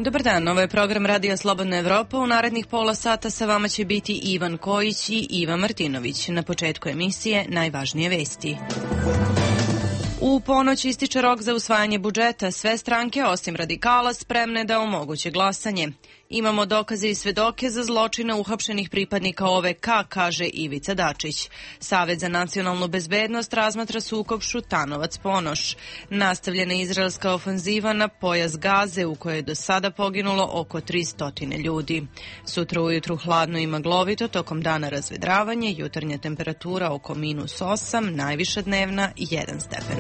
Dobar dan, ovo je program Radija Slobodna Evropa. U narednih pola sata sa vama će biti Ivan Kojić i Iva Martinović. Na početku emisije najvažnije vesti. U ponoć ističe rok za usvajanje budžeta. Sve stranke, osim radikala, spremne da omoguće glasanje. Imamo dokaze i svedoke za zločine uhapšenih pripadnika OVK, kaže Ivica Dačić. Savet za nacionalnu bezbednost razmatra sukob Šutanovac-Ponoš. Nastavljena izraelska ofanziva na pojas Gaze, u kojoj je do sada poginulo oko 300 ljudi. Sutra ujutru hladno i maglovito, tokom dana razvedravanje, jutarnja temperatura oko -8, najviša dnevna 1 stepen.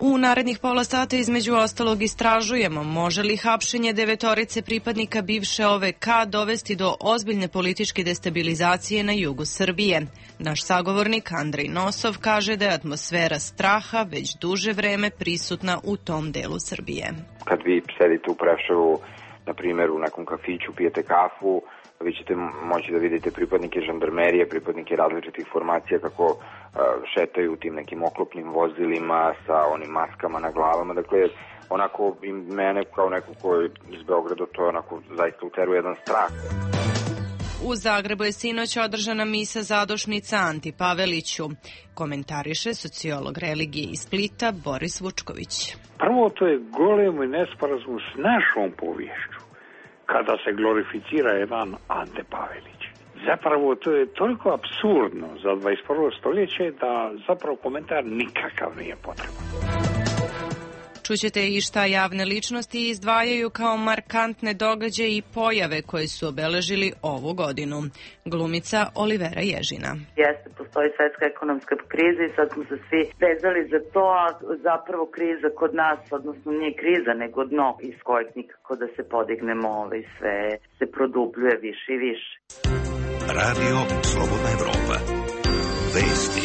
U narednih pola sata između ostalog istražujemo može li hapšenje 9 pripadnika bivše OVK dovesti do ozbiljne političke destabilizacije na jugu Srbije. Naš sagovornik Andrej Nosov kaže da je atmosfera straha već duže vreme prisutna u tom delu Srbije. Kad vi sedite u Preševu, na primjer u nekom kafiću, pijete kafu, vi ćete moći da vidite pripadnike žandarmerije, pripadnike različitih formacija kako šetaju u tim nekim oklopnim vozilima sa onim maskama na glavama. Dakle, onako i mene kao neko ko je iz Beograda to onako zaista uteruje jedan strah. U Zagrebu je sinoć održana misa zadošnica Anti Paveliću. Komentariše sociolog religije iz Splita Boris Vučković. Prvo, to je golemi nesporazum s našom poviješću kada se glorificira jedan Ante Pavelić. Zapravo to je toliko apsurdno za 21. stoljeće da zapravo komentar nikakav nije potreban. Čućete i šta javne ličnosti izdvajaju kao markantne događaje i pojave koje su obeležili ovu godinu. Glumica Olivera Ježina. Jeste, postoji svetska ekonomska kriza i sad smo se svi vezali za to, a zapravo kriza kod nas, odnosno nije kriza, nego dno iz kojeg nikako da se podignemo, sve se produbljuje više i više. Radio Slobodna Evropa. Vesti.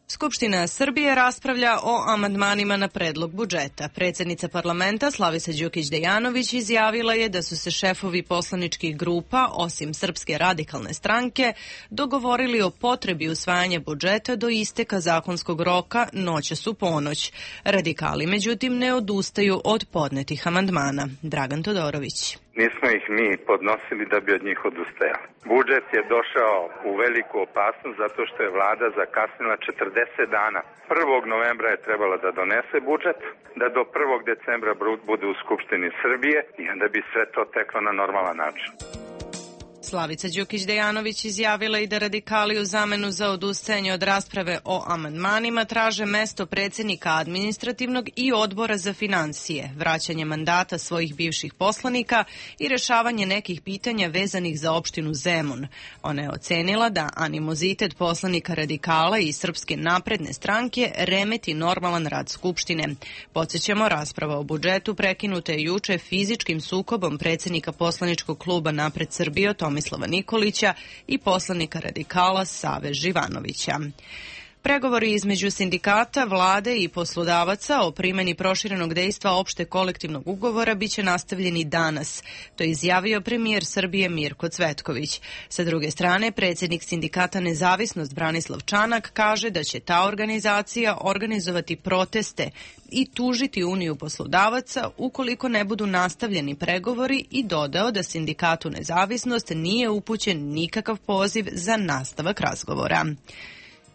Skupština Srbije raspravlja o amandmanima na predlog budžeta. Predsjednica parlamenta Slavica Đukić Dejanović izjavila je da su se šefovi poslaničkih grupa, osim Srpske radikalne stranke, dogovorili o potrebi usvajanja budžeta do isteka zakonskog roka noćas u ponoć. Radikali, međutim, ne odustaju od podnetih amandmana. Dragan Todorović. Nismo ih mi podnosili da bi od njih odustajali. Budžet je došao u veliku opasnost zato što je vlada zakasnila 40 dana. 1. novembra je trebala da donese budžet, da do 1. decembra bude u Skupštini Srbije i onda bi sve to teklo na normalan način. Slavica Đukić Dejanović izjavila i da radikali u zamenu za odustajanje od rasprave o amandmanima traže mesto predsjednika administrativnog i odbora za financije, vraćanje mandata svojih bivših poslanika i rešavanje nekih pitanja vezanih za opštinu Zemun. Ona je ocenila da animozitet poslanika radikala i Srpske napredne stranke remeti normalan rad Skupštine. Podsjećamo, rasprava o budžetu prekinuta je juče fizičkim sukobom predsjednika poslaničkog kluba Napred Srbije Tomislava Nikolića i poslanika radikala Save Živanovića. Pregovori između sindikata, vlade i poslodavaca o primjeni proširenog dejstva opšte kolektivnog ugovora biće nastavljeni danas. To je izjavio premijer Srbije Mirko Cvetković. Sa druge strane, predsjednik sindikata Nezavisnost Branislav Čanak kaže da će ta organizacija organizovati proteste i tužiti Uniju poslodavaca ukoliko ne budu nastavljeni pregovori i dodao da sindikatu Nezavisnost nije upućen nikakav poziv za nastavak razgovora.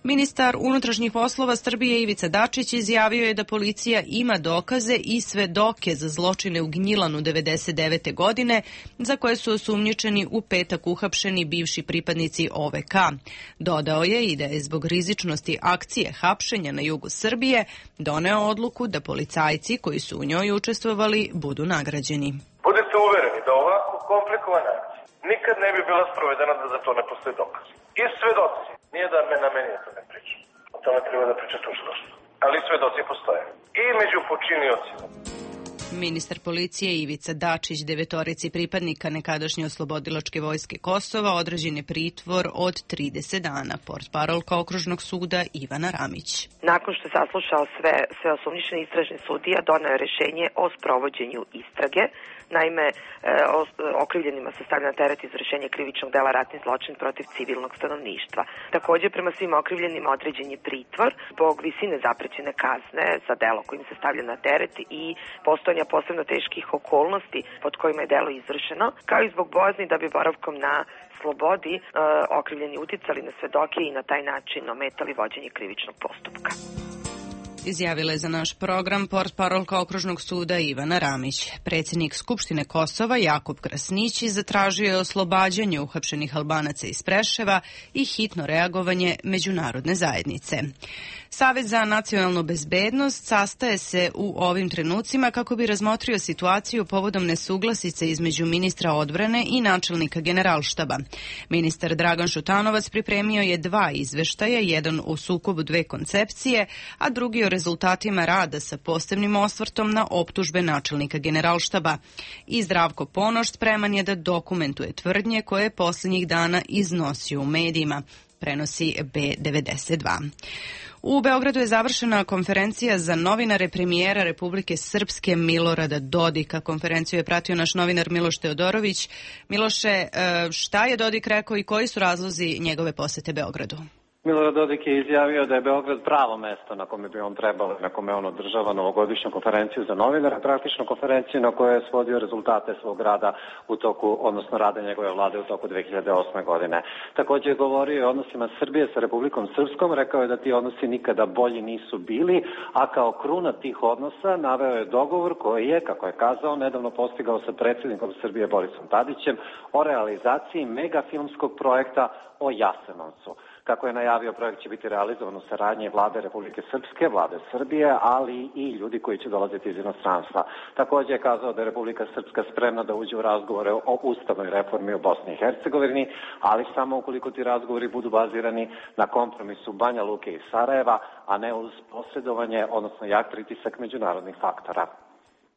Ministar unutrašnjih poslova Srbije Ivica Dačić izjavio je da policija ima dokaze i svedoke za zločine u Gnjilanu 1999. godine, za koje su osumnjičeni u petak uhapšeni bivši pripadnici OVK. Dodao je i da je zbog rizičnosti akcije hapšenja na jugu Srbije doneo odluku da policajci koji su u njoj učestvovali budu nagrađeni. Budite uvereni da ovako komplikovana akcija nikad ne bi bila sprovedena da za to ne postoji dokaz. I svedoci. Nije da na meni to ne priča. O tome treba da priča tužilaštvo. Ali svedoci postoje. I među počiniocima. Ministar policije Ivica Dačić 9 pripadnika nekadašnje oslobodilačke vojske Kosova određen je pritvor od 30 dana. Portparolka okružnog suda Ivana Ramić. Nakon što je saslušao sve osumnjičene, istražni sudija doneo je rješenje o sprovođenju istrage Naime, okrivljenima se stavlja na teret izvršenje krivičnog dela ratni zločin protiv civilnog stanovništva. Takođe, prema svim okrivljenima određen je pritvor zbog visine zaprećene kazne za delo kojim se stavlja na teret i postojanja posebno teških okolnosti pod kojima je delo izvršeno, kao i zbog bojazni da bi boravkom na slobodi okrivljeni uticali na svedoke i na taj način ometali vođenje krivičnog postupka. Izjavila je za naš program portparolka Okružnog suda Ivana Ramić. Predsjednik Skupštine Kosova Jakub Krasnići zatražio je oslobađanje uhapšenih Albanaca iz Preševa i hitno reagovanje međunarodne zajednice. Savet za nacionalnu bezbednost sastaje se u ovim trenucima kako bi razmotrio situaciju povodom nesuglasice između ministra odbrane i načelnika Generalštaba. Ministar Dragan Šutanovac pripremio je 2 izveštaja, jedan o sukobu 2 koncepcije, a drugi o rezultatima rada sa posebnim osvrtom na optužbe načelnika Generalštaba. I Zdravko Ponoš spreman je da dokumentuje tvrdnje koje je posljednjih dana iznosio u medijima, prenosi B92. U Beogradu je završena konferencija za novinare premijera Republike Srpske Milorada Dodika. Konferenciju je pratio naš novinar Miloš Teodorović. Miloše, šta je Dodik rekao i koji su razlozi njegove posete Beogradu? Milorad Dodik je izjavio da je Beograd pravo mesto na kome bi on trebalo, na kome on održava novogodišnju konferenciju za novinare, praktično konferenciju na kojoj je svodio rezultate svog rada u toku, odnosno rada njegove vlade u toku 2008. godine. Također je govorio o odnosima Srbije sa Republikom Srpskom, rekao je da ti odnosi nikada bolji nisu bili, a kao kruna tih odnosa naveo je dogovor koji je, kako je kazao, nedavno postigao sa predsjednikom Srbije Borisom Tadićem o realizaciji megafilmskog projekta o Jasenovcu. Kako je najavio, projekt će biti realizovan u saradnji vlade Republike Srpske, vlade Srbije, ali i ljudi koji će dolaziti iz inostranstva. Također je kazao da je Republika Srpska spremna da uđe u razgovore o ustavnoj reformi u Bosni i Hercegovini, ali samo ukoliko ti razgovori budu bazirani na kompromisu Banja Luke i Sarajeva, a ne uz posredovanje, odnosno jak pritisak međunarodnih faktora.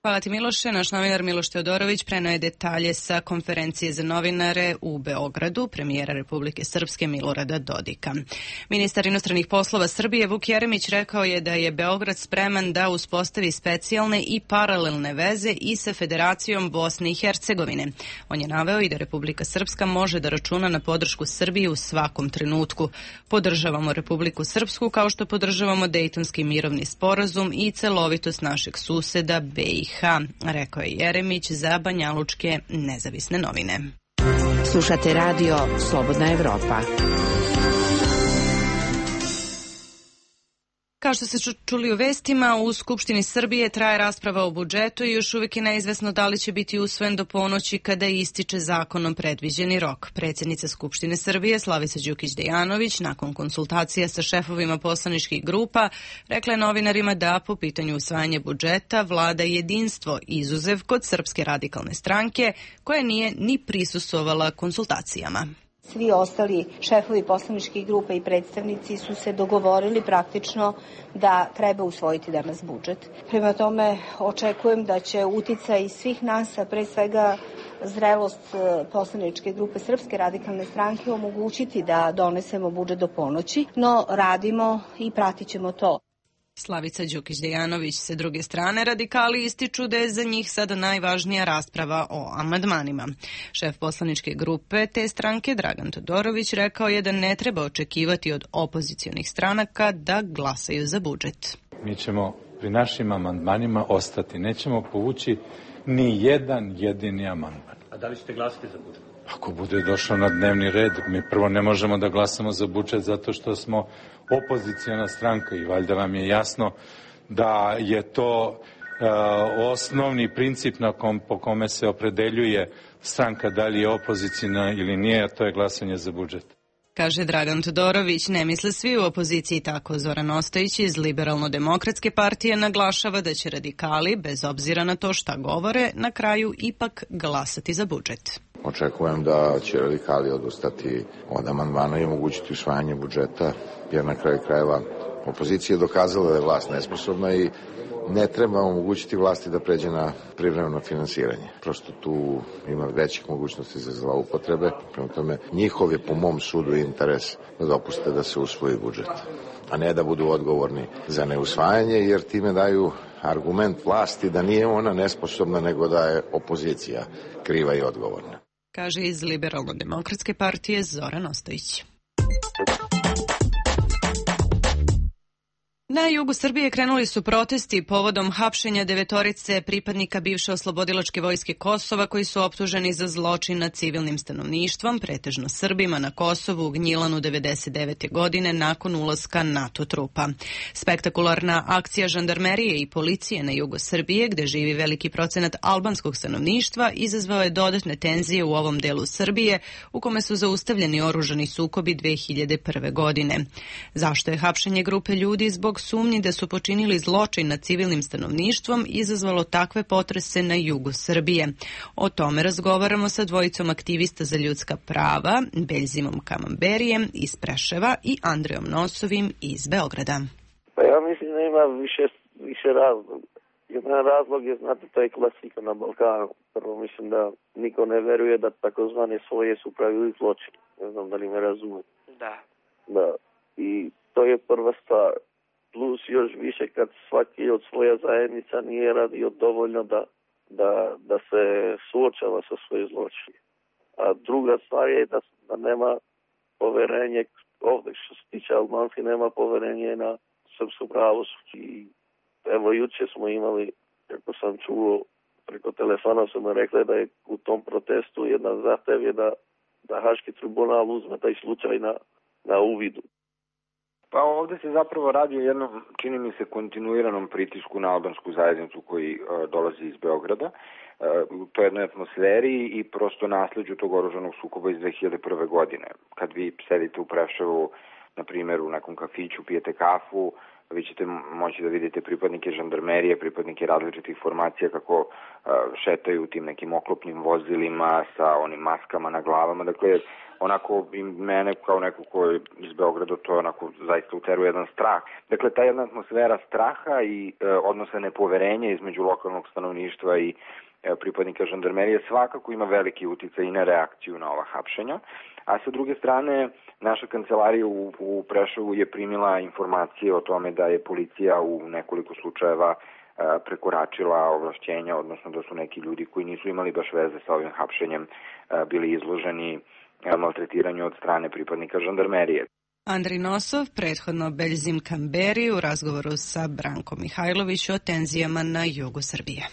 Hvala ti Miloše. Naš novinar Miloš Teodorović preneo je detalje sa konferencije za novinare u Beogradu premijera Republike Srpske Milorada Dodika. Ministar inostranih poslova Srbije Vuk Jeremić rekao je da je Beograd spreman da uspostavi specijalne i paralelne veze i sa Federacijom Bosne i Hercegovine. On je naveo i da Republika Srpska može da računa na podršku Srbije u svakom trenutku. Podržavamo Republiku Srpsku kao što podržavamo Dejtonski mirovni sporazum i celovitost našeg suseda BiH, rekao je Jeremić za banjalučke nezavisne novine. Slušate radio Slobodna Evropa. Kao što ste čuli u vestima, u Skupštini Srbije traje rasprava o budžetu i još uvijek je neizvesno da li će biti usvojen do ponoći kada ističe zakonom predviđeni rok. Predsjednica Skupštine Srbije Slavica Đukić Dejanović nakon konsultacija sa šefovima poslaničkih grupa rekla je novinarima da po pitanju usvajanja budžeta vlada jedinstvo, izuzev kod Srpske radikalne stranke koja nije ni prisustvovala konsultacijama. Svi ostali šefovi poslaničkih grupa i predstavnici su se dogovorili praktično da treba usvojiti danas budžet. Prema tome očekujem da će uticaj svih nas, a pre svega zrelost poslaničke grupe Srpske radikalne stranke omogućiti da donesemo budžet do ponoći, no radimo i pratit ćemo to. Slavica Đukić Dejanović. Sa druge strane, radikali ističu da je za njih sada najvažnija rasprava o amandmanima. Šef poslaničke grupe te stranke, Dragan Todorović, rekao je da ne treba očekivati od opozicionih stranaka da glasaju za budžet. Mi ćemo pri našim amandmanima ostati. Nećemo povući ni jedan jedini amandman. A da li ćete glasati za budžet? Ako bude došao na dnevni red, mi prvo ne možemo da glasamo za budžet zato što smo opoziciona stranka i valjda vam je jasno da je to osnovni princip po kome se opredeljuje stranka da li je opozicijna ili nije, a to je glasanje za budžet. Kaže Dragan Todorović, ne misle svi u opoziciji tako. Zoran Ostojić iz Liberalno-demokratske partije naglašava da će radikali, bez obzira na to šta govore, na kraju ipak glasati za budžet. Očekujem da će radikali odustati od amandmana i omogućiti usvajanje budžeta, jer na kraju krajeva opozicija je dokazala da je vlast nesposobna i ne treba omogućiti vlasti da pređe na privremeno finansiranje. Prosto tu ima većih mogućnosti za zloupotrebe. Prema tome, njihov je po mom sudu interes da dopuste da se usvoji budžet, a ne da budu odgovorni za neusvajanje, jer time daju argument vlasti da nije ona nesposobna, nego da je opozicija kriva i odgovorna. Kaže iz Liberalno-demokratske partije Zoran Ostojić. Na jugu Srbije krenuli su protesti povodom hapšenja 9 pripadnika bivše oslobodilačke vojske Kosova koji su optuženi za zločin nad civilnim stanovništvom, pretežno Srbima na Kosovu u Gnjilanu 1999. godine nakon ulaska NATO trupa. Spektakularna akcija žandarmerije i policije na jugu Srbije, gde živi veliki procenat albanskog stanovništva, izazvao je dodatne tenzije u ovom delu Srbije, u kome su zaustavljeni oružani sukobi 2001. godine. Zašto je hapšenje grupe ljudi zbog sumnji da su počinili zločin nad civilnim stanovništvom izazvalo takve potrese na jugu Srbije? O tome razgovaramo sa dvojicom aktivista za ljudska prava, Beljzimom Kamamberijem iz Preševa i Andrejom Nosovim iz Beograda. Pa ja mislim da ima više razloga. Jedan razlog je, znate, to je klasika na Balkanu. Prvo mislim da niko ne veruje da takozvane svoje su pravili zločin. Ne znam da li me razume. Da. I to je prva stvar. Plus još više kad svaki od svoja zajednica nije radio dovoljno da se suočava sa svoje zločine. A druga stvar je da nema poverenje ovdje, što se tiče Albanski, nema poverenje na srpsko pravosuđe. I evo juče smo imali, kako sam čuo, preko telefona su me rekli da je u tom protestu jedan zahtev je da Haški tribunal uzme taj slučaj na uvidu. Pa ovde se zapravo radi o jednom, čini mi se, kontinuiranom pritisku na albansku zajednicu koji dolazi iz Beograda. U toj jednoj atmosferi i prosto nasleđu tog oružanog sukoba iz 2001. godine. Kad vi sedite u Preševu, na primjer, u nekom kafiću, pijete kafu, vi ćete moći da vidite pripadnike žandarmerije, pripadnike različitih formacija kako šetaju tim nekim oklopnim vozilima sa onim maskama na glavama. Dakle, onako i mene kao neko ko je iz Beograda to onako zaista uteruje jedan strah. Dakle, ta jedna atmosfera straha i odnosa nepoverenja između lokalnog stanovništva i pripadnika žandarmerije svakako ima veliki uticaj i na reakciju na ova hapšenja. A sa druge strane, naša kancelarija u Preševu je primila informacije o tome da je policija u nekoliko slučajeva prekoračila ovlašćenja, odnosno da su neki ljudi koji nisu imali baš veze sa ovim hapšenjem bili izloženi maltretiranju od strane pripadnika žandarmerije. Andrej Nosov, prethodno Beljzim Kamberi u razgovoru sa Brankom Mihajlović o tenzijama na jugu Srbije.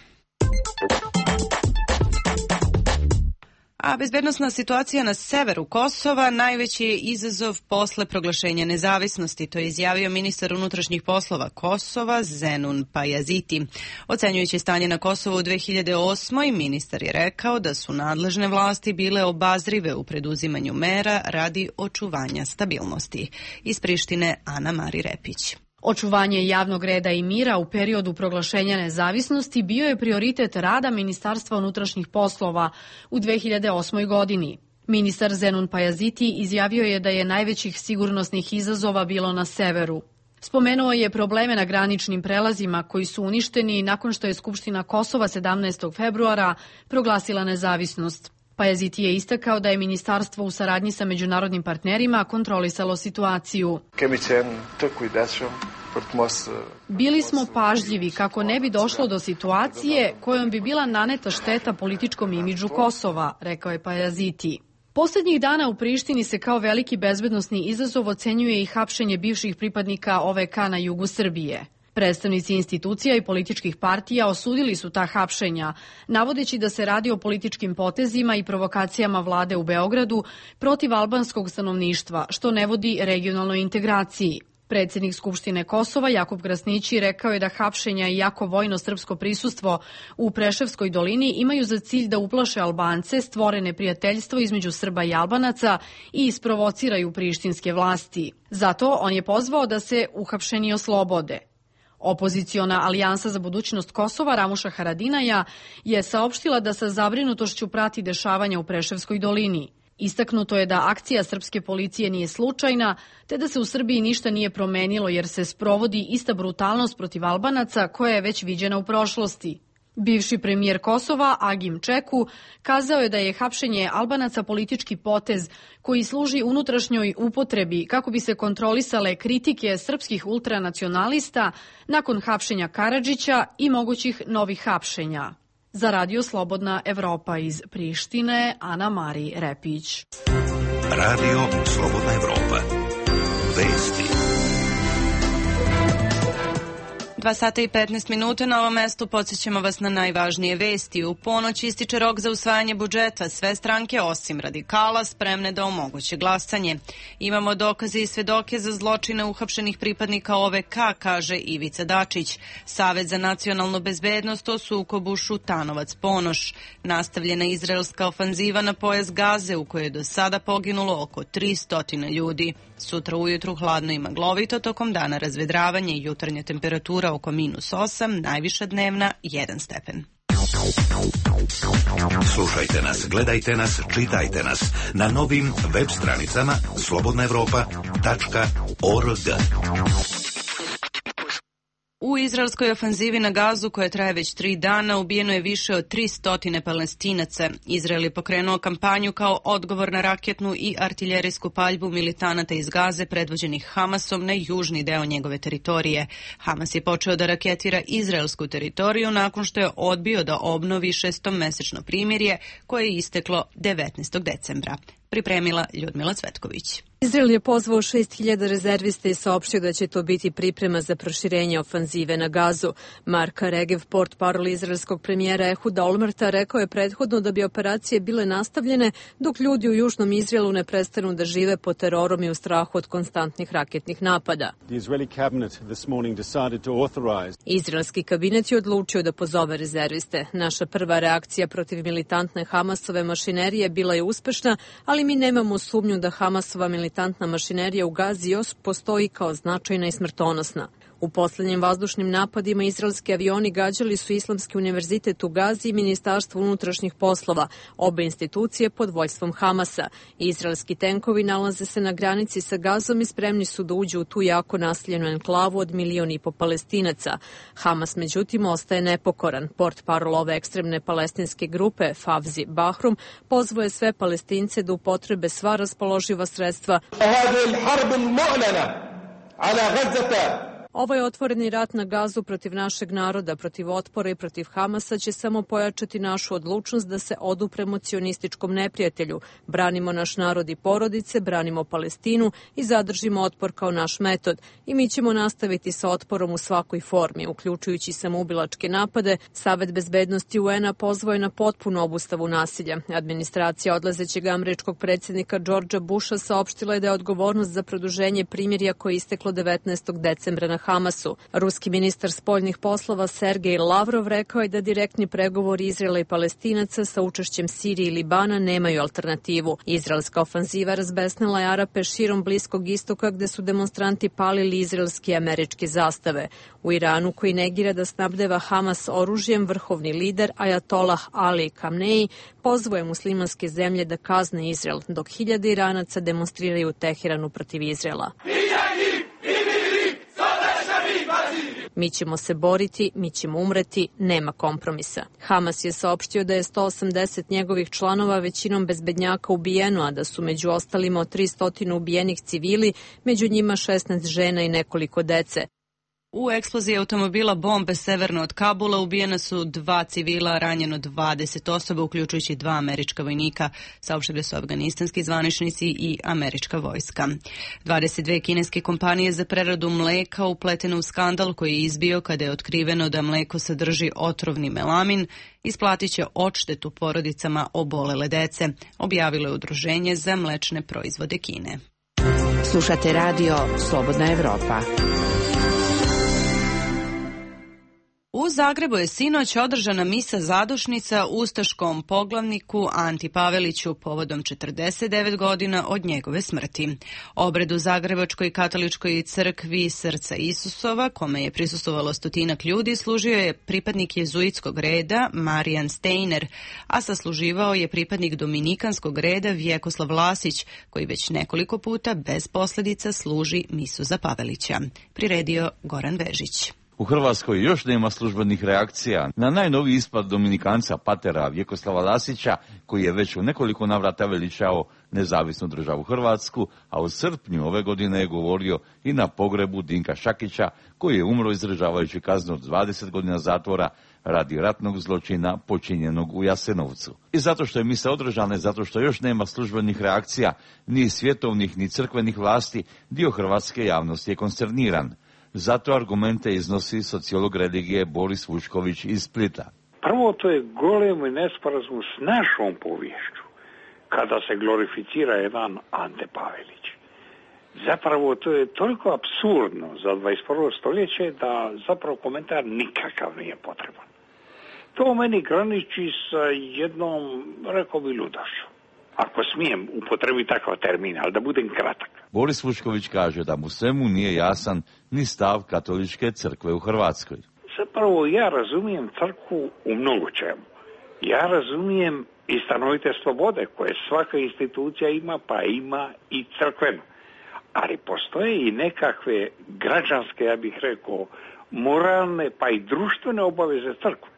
A bezbednosna situacija na severu Kosova najveći je izazov posle proglašenja nezavisnosti, to je izjavio ministar unutrašnjih poslova Kosova Zenun Pajaziti. Ocenjujući stanje na Kosovu u 2008. ministar je rekao da su nadležne vlasti bile obazrive u preduzimanju mera radi očuvanja stabilnosti. Iz Prištine Ana Mari Repić. Očuvanje javnog reda i mira u periodu proglašenja nezavisnosti bio je prioritet rada Ministarstva unutrašnjih poslova u 2008. godini. Ministar Zenun Pajaziti izjavio je da je najvećih sigurnosnih izazova bilo na severu. Spomenuo je probleme na graničnim prelazima koji su uništeni nakon što je Skupština Kosova 17. februara proglasila nezavisnost. Pajaziti je istakao da je ministarstvo u saradnji sa međunarodnim partnerima kontrolisalo situaciju. Bili smo pažljivi kako ne bi došlo do situacije kojom bi bila naneta šteta političkom imidžu Kosova, rekao je Pajaziti. Poslednjih dana u Prištini se kao veliki bezbednosni izazov ocenjuje i hapšenje bivših pripadnika OVK na jugu Srbije. Predstavnici institucija i političkih partija osudili su ta hapšenja, navodeći da se radi o političkim potezima i provokacijama vlade u Beogradu protiv albanskog stanovništva, što ne vodi regionalnoj integraciji. Predsjednik Skupštine Kosova Jakub Krasnići rekao je da hapšenja i jako vojno srpsko prisustvo u Preševskoj dolini imaju za cilj da uplaše Albance, stvore neprijateljstvo između Srba i Albanaca i isprovociraju prištinske vlasti. Zato on je pozvao da se uhapšeni oslobode. Opoziciona alijansa za budućnost Kosova Ramuša Haradinaja je saopštila da sa zabrinutošću prati dešavanja u Preševskoj dolini. Istaknuto je da akcija srpske policije nije slučajna, te da se u Srbiji ništa nije promenilo jer se sprovodi ista brutalnost protiv Albanaca koja je već viđena u prošlosti. Bivši premijer Kosova, Agim Čeku, kazao je da je hapšenje Albanaca politički potez koji služi unutrašnjoj upotrebi kako bi se kontrolisale kritike srpskih ultranacionalista nakon hapšenja Karadžića i mogućih novih hapšenja. Za Radio Slobodna Evropa iz Prištine, Ana Mari Repić. Radio Slobodna Evropa. Vesti. 2 sata i 15 minuta na ovom mestu podsjećamo vas na najvažnije vesti. U ponoć ističe rok za usvajanje budžeta. Sve stranke osim radikala spremne da omoguće glasanje. Imamo dokaze i svedoke za zločine uhapšenih pripadnika OVK, kaže Ivica Dačić. Savet za nacionalnu bezbednost o sukobu Šutanovac-Ponoš. Nastavljena izraelska ofanziva na pojas Gaze u kojoj je do sada poginulo oko 300 ljudi. Sutra ujutru hladno i maglovito, tokom dana razvedravanje i jutarnja temperatura oko -8, najviša dnevna 1 stepen. Slušajte nas, gledajte nas, čitajte nas na novim web stranicama slobodnaevropa.org. U izraelskoj ofanzivi na Gazu, koja traje već 3 dana, ubijeno je više od 300 Palestinaca. Izrael je pokrenuo kampanju kao odgovor na raketnu i artiljerijsku paljbu militanata iz Gaze predvođenih Hamasom na južni deo njegove teritorije. Hamas je počeo da raketira izraelsku teritoriju nakon što je odbio da obnovi 6-mesečno primirje koje je isteklo 19. decembra. Pripremila Ljudmila Cvetković. Izrael je pozvao 6.000 rezervista i saopštio da će to biti priprema za proširenje ofanzive na Gazu. Mark Regev, portparol izraelskog premijera Ehuda Olmerta, rekao je prethodno da bi operacije bile nastavljene dok ljudi u južnom Izraelu ne prestanu da žive pod terorom i u strahu od konstantnih raketnih napada. Izraelski kabinet je odlučio da pozove rezerviste. Naša prva reakcija protiv militantne Hamasove mašinerije bila je uspešna, ali mi nemamo sumnju da Hamasova militantna mašinerija u Gazi postoji kao značajna i smrtonosna. U poslednjim vazdušnim napadima izraelski avioni gađali su Islamski univerzitet u Gazi i Ministarstvo unutrašnjih poslova, obe institucije pod vođstvom Hamasa. Izraelski tenkovi nalaze se na granici sa Gazom i spremni su da uđu u tu jako naseljenu enklavu od 1,5 miliona Palestinaca. Hamas, međutim, ostaje nepokoran. Portparol ove ekstremne palestinske grupe, Favzi Bahrum, pozvao je sve Palestince da upotrebe sva raspoloživa sredstva. Ovaj otvoreni rat na Gazu protiv našeg naroda, protiv otpora i protiv Hamasa će samo pojačati našu odlučnost da se odupremo cionističkom neprijatelju. Branimo naš narod i porodice, branimo Palestinu i zadržimo otpor kao naš metod. I mi ćemo nastaviti sa otporom u svakoj formi, uključujući samoubilačke napade. Savet bezbednosti UN-a pozvao je na potpunu obustavu nasilja. Administracija odlazećeg američkog predsjednika Georgea Busha saopštila je da je odgovornost za produženje primirja koje je isteklo 19. decembra na Hamasu. Ruski ministar spoljnih poslova Sergej Lavrov rekao je da direktni pregovori Izraela i Palestinaca sa učešćem Sirije i Libana nemaju alternativu. Izraelska ofanziva razbesnila je Arape širom Bliskog istoka gde su demonstranti palili izraelske i američke zastave. U Iranu, koji negira da snabdeva Hamas oružjem, vrhovni lider Ajatolah Ali Khamenei pozvao je muslimanske zemlje da kazne Izrael, dok 1000 Iranaca demonstriraju u Teheranu protiv Izraela. Mi ćemo se boriti, mi ćemo umreti, nema kompromisa. Hamas je saopštio da je 180 njegovih članova, većinom bezbednjaka, ubijeno, a da su među ostalima od 300 ubijenih civili, među njima 16 žena i nekoliko dece. U eksploziji automobila bombe severno od Kabula ubijena su 2 civila, ranjeno 20 osoba, uključujući 2 američka vojnika, saopštili su afganistanski zvaničnici i američka vojska. 22 kineske kompanije za preradu mleka upletene u skandal koji je izbio kada je otkriveno da mleko sadrži otrovni melamin, isplatit će odštetu porodicama obolele dece, objavilo je Udruženje za mlečne proizvode Kine. Slušate radio Slobodna Evropa. U Zagrebu je sinoć održana misa zadušnica ustaškom poglavniku Anti Paveliću povodom 49 godina od njegove smrti. Obred u Zagrebačkoj katoličkoj crkvi Srca Isusova, kome je prisustvovalo 100 ljudi, služio je pripadnik jezuitskog reda Marijan Steiner, a sasluživao je pripadnik dominikanskog reda Vjekoslav Lasić, koji već nekoliko puta bez posljedica služi misu za Pavelića. Priredio Goran Vežić. U Hrvatskoj još nema službenih reakcija na najnoviji ispad dominikanca patera Vjekoslava Lasića, koji je već u nekoliko navrata veličao nezavisnu državu Hrvatsku, a u srpnju ove godine je govorio i na pogrebu Dinka Šakića, koji je umro izdržavajući kaznu od 20 godina zatvora radi ratnog zločina počinjenog u Jasenovcu. I zato što je mise održane, zato što još nema službenih reakcija, ni svjetovnih ni crkvenih vlasti, dio hrvatske javnosti je konsterniran. Zato argumente iznosi sociolog religije Boris Vučković iz Splita. Prvo, to je golemi nesporazum s našom poviješću, kada se glorificira jedan Ante Pavelić. Zapravo, to je toliko apsurdno za 21. stoljeće da zapravo komentar nikakav nije potreban. To meni graniči sa jednom, rekao bi, ludošću. Ako smijem upotrebiti takav termin, ali da budem kratak. Boris Vučković kaže da mu svemu nije jasan ni stav katoličke crkve u Hrvatskoj. Zapravo ja razumijem crkvu u mnogo čemu. Ja razumijem i stanovite slobode koje svaka institucija ima, pa ima i crkvena. Ali postoje i nekakve građanske, ja bih rekao, moralne pa i društvene obaveze crkve.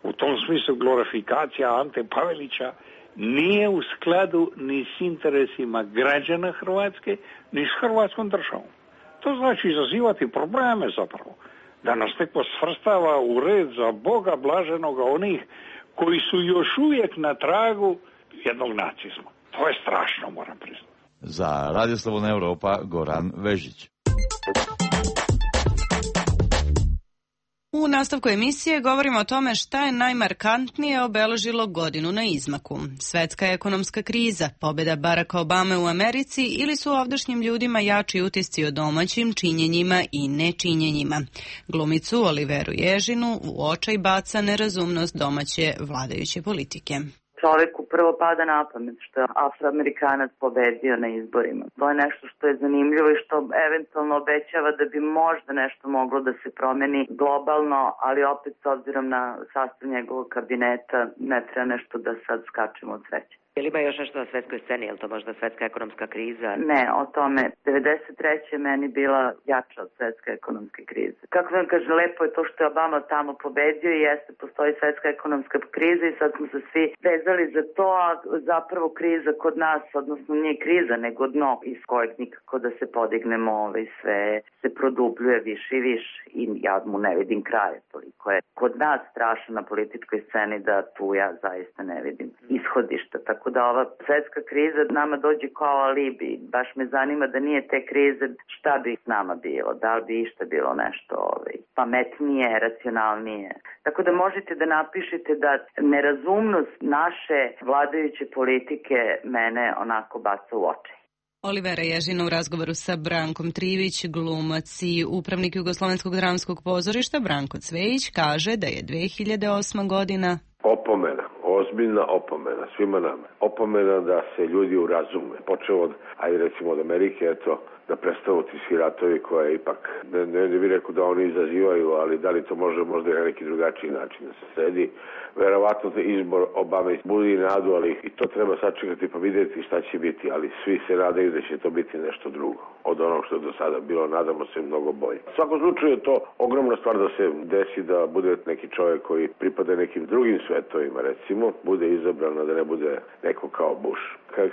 U tom smislu glorifikacija Ante Pavelića nije u skladu ni s interesima građana Hrvatske, ni s Hrvatskom državom. To znači izazivati probleme zapravo. Da nas neko svrstava u red za Boga blaženoga onih koji su još uvijek na tragu jednog nacizma. To je strašno, moram priznati. Za Radio Slobodna Evropa, Goran Vežić. U nastavku emisije govorimo o tome šta je najmarkantnije obeležilo godinu na izmaku. Svetska ekonomska kriza, pobjeda Baracka Obame u Americi ili su ovdašnjim ljudima jači utisci o domaćim činjenjima i nečinjenjima. Glumicu Oliveru Ježinu u očaj baca nerazumnost domaće vladajuće politike. Čovjeku prvo pada na pamet što je Afroamerikanac pobedio na izborima. To je nešto što je zanimljivo i što eventualno obećava da bi možda nešto moglo da se promeni globalno, ali opet s obzirom na sastav njegovog kabineta ne treba nešto da sad skačemo od sreće. Je li ima još nešto na svetskoj sceni? Je li to možda svetska ekonomska kriza? Ne, o tome. 93. je meni bila jača od svetske ekonomske krize. Kako vam kažem, lepo je to što je Obama tamo pobedio i jeste, postoji svetska ekonomska kriza i sad smo se svi vezali za to, a zapravo kriza kod nas, odnosno nije kriza, nego dno iz kojeg nikako da se podignemo, sve se produbljuje više i više i ja mu ne vidim kraja. Toliko je kod nas strašno na političkoj sceni da tu ja zaista ne vidim ishodišta, tako da ova svetska kriza nama dođe kao alibi. Baš me zanima da nije te krize, šta bi s nama bilo, da li bi išta bilo nešto pametnije, racionalnije. Tako da možete da napišete da nerazumnost naše vladajuće politike mene onako baca u oči. Olivera Ježina u razgovoru sa Brankom Trivić, glumac i upravnik Jugoslovenskog dramskog pozorišta Branko Cvejić kaže da je 2008. godina opomena, ozbiljna opomena svima nama. Opomena da se ljudi urazume. Počeo od, ajde recimo od Amerike, eto, da prestanu ti svi ratovi koje ipak, ne bih rekao da oni izazivaju, ali da li to može možda i na neki drugačiji način da se sredi. Verovatno izbor Obame budi nadu, ali i to treba sačekati pa vidjeti šta će biti, ali svi se nadaju da će to biti nešto drugo od onog što je do sada bilo, nadamo se mnogo bolje. U svakom slučaju je to ogromna stvar da se desi da bude neki čovjek koji pripada nekim drugim svetovima, recimo, bude izabran, da ne bude neko kao Bush.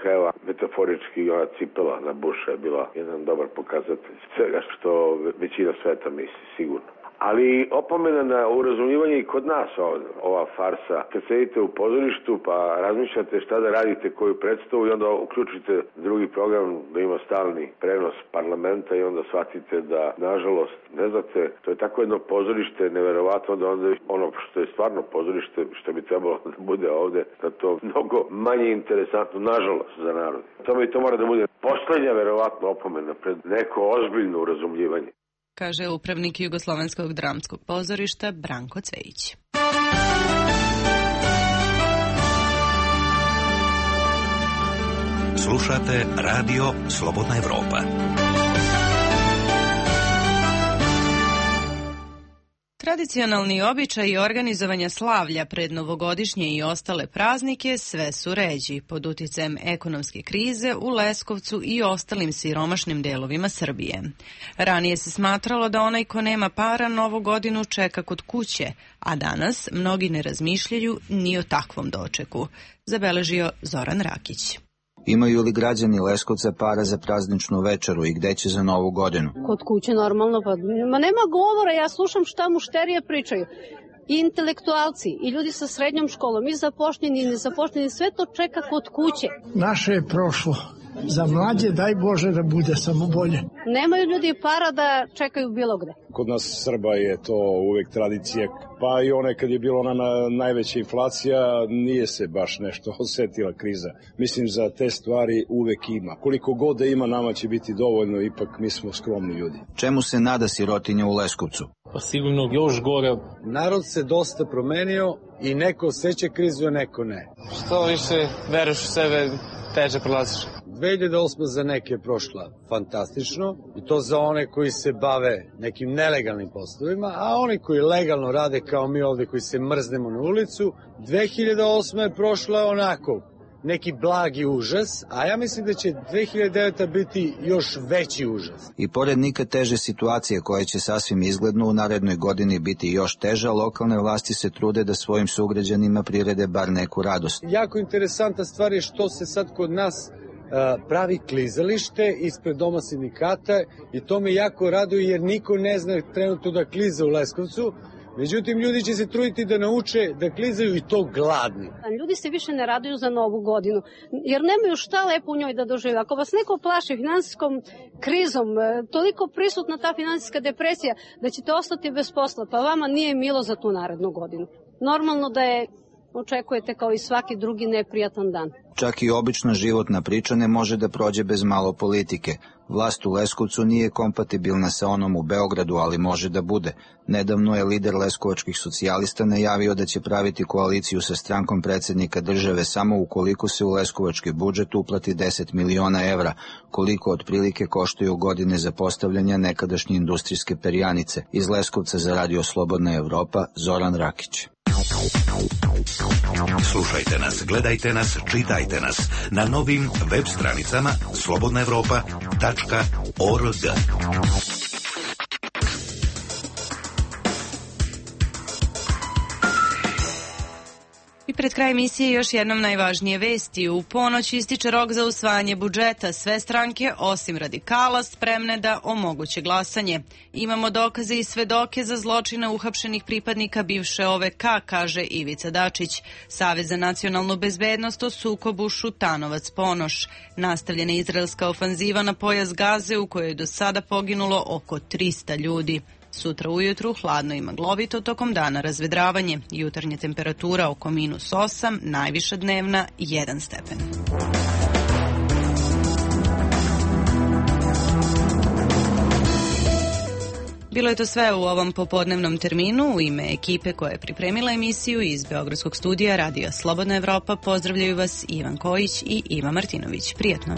Evo, metaforički ona cipela na Busha je bila jedan dobar pokazatelj svega što većina sveta misli, sigurno. Ali opomena na urazumijevanje i kod nas ova farsa. Kad sedite u pozorištu pa razmišljate šta da radite, koju predstavu i onda uključite drugi program da ima stalni prenos parlamenta i onda shvatite da, nažalost, ne znate, to je tako jedno pozorište neverovatno da onda ono što je stvarno pozorište, što bi trebalo da bude ovde, da to mnogo manje interesantno, nažalost, za narod. To mora da bude poslednja verovatno opomena pred neko ozbiljno urazumljivanje. Kaže upravnik Jugoslovenskog dramskog pozorišta Branko Cvejić. Slušate Radio Slobodna Evropa. Tradicionalni običaji organizovanja slavlja pred novogodišnje i ostale praznike sve su ređi pod uticajem ekonomske krize u Leskovcu i ostalim siromašnim delovima Srbije. Ranije se smatralo da onaj ko nema para Novu godinu čeka kod kuće, a danas mnogi ne razmišljaju ni o takvom dočeku, zabeležio Zoran Rakić. Imaju li građani Leskovca para za prazničnu večeru i gde će za Novu godinu? Kod kuće normalno, pa nema govora, ja slušam šta mušterije pričaju. I intelektualci, i ljudi sa srednjom školom, i zapošljeni, i nezapošljeni, sve to čeka kod kuće. Naše je prošlo. Za mlađe daj Bože da bude samo bolje. Nemaju ljudi para da čekaju bilo gde. Kod nas Srba je to uvek tradicija, pa i one kad je bila ona najveća inflacija, nije se baš nešto osetila kriza. Mislim za te stvari uvek ima. Koliko god da ima, nama će biti dovoljno, ipak mi smo skromni ljudi. Čemu se nada sirotinja u Leskovcu? Pa sigurno još gore. Narod se dosta promenio i neko osjeća krizu, a neko ne. Što više veruješ u sebe, teže prolaziš. 2008 za neke je prošla fantastično i to za one koji se bave nekim nelegalnim poslovima, a oni koji legalno rade kao mi ovde koji se mrznemo na ulicu, 2008 je prošla onako neki blagi užas, a ja mislim da će 2009 biti još veći užas. I pored nikad teže situacije koja će sasvim izgledno u narednoj godini biti još teža, lokalne vlasti se trude da svojim sugrađanima prirede bar neku radost. Jako interesantna stvar je što se sad kod nas pravi klizalište ispred doma sindikata i to me jako raduje jer niko ne zna trenutno da kliza u Leskovcu. Međutim, ljudi će se truditi da nauče da klizaju i to gladni. Ljudi se više ne raduju za Novu godinu, jer nemaju šta lepo u njoj da dožive. Ako vas neko plaši finansijskom krizom, toliko prisutna ta finansijska depresija da ćete ostati bez posla, pa vama nije milo za tu narednu godinu. Normalno da je očekujete kao i svaki drugi neprijatan dan. Čak i obična životna priča ne može da prođe bez malo politike. Vlast u Leskovcu nije kompatibilna sa onom u Beogradu, ali može da bude. Nedavno je lider leskovačkih socijalista najavio da će praviti koaliciju sa strankom predsjednika države samo ukoliko se u leskovački budžet uplati 10 miliona evra, koliko otprilike koštaju godine za postavljanje nekadašnje industrijske perjanice. Iz Leskovca za Radio Slobodna Evropa, Zoran Rakić. Slušajte nas, gledajte nas, čitajte nas na novim web stranicama slobodnaevropa.org. I pred kraj emisije još jednom najvažnije vesti. U ponoć ističe rok za usvajanje budžeta. Sve stranke, osim radikala, spremne da omoguće glasanje. Imamo dokaze i svedoke za zločine uhapšenih pripadnika bivše OVK, kaže Ivica Dačić. Savez za nacionalnu bezbednost o sukobu Šutanovac-Ponoš. Nastavljena izraelska ofanziva na pojas Gaze u kojoj je do sada poginulo oko 300 ljudi. Sutra ujutru hladno i maglovito, tokom dana razvedravanje. Jutarnja temperatura oko -8, najviša dnevna 1 stepen. Bilo je to sve u ovom popodnevnom terminu. U ime ekipe koja je pripremila emisiju iz Beogradskog studija Radija Slobodna Evropa pozdravljaju vas Ivan Kojić i Iva Martinović. Prijetno.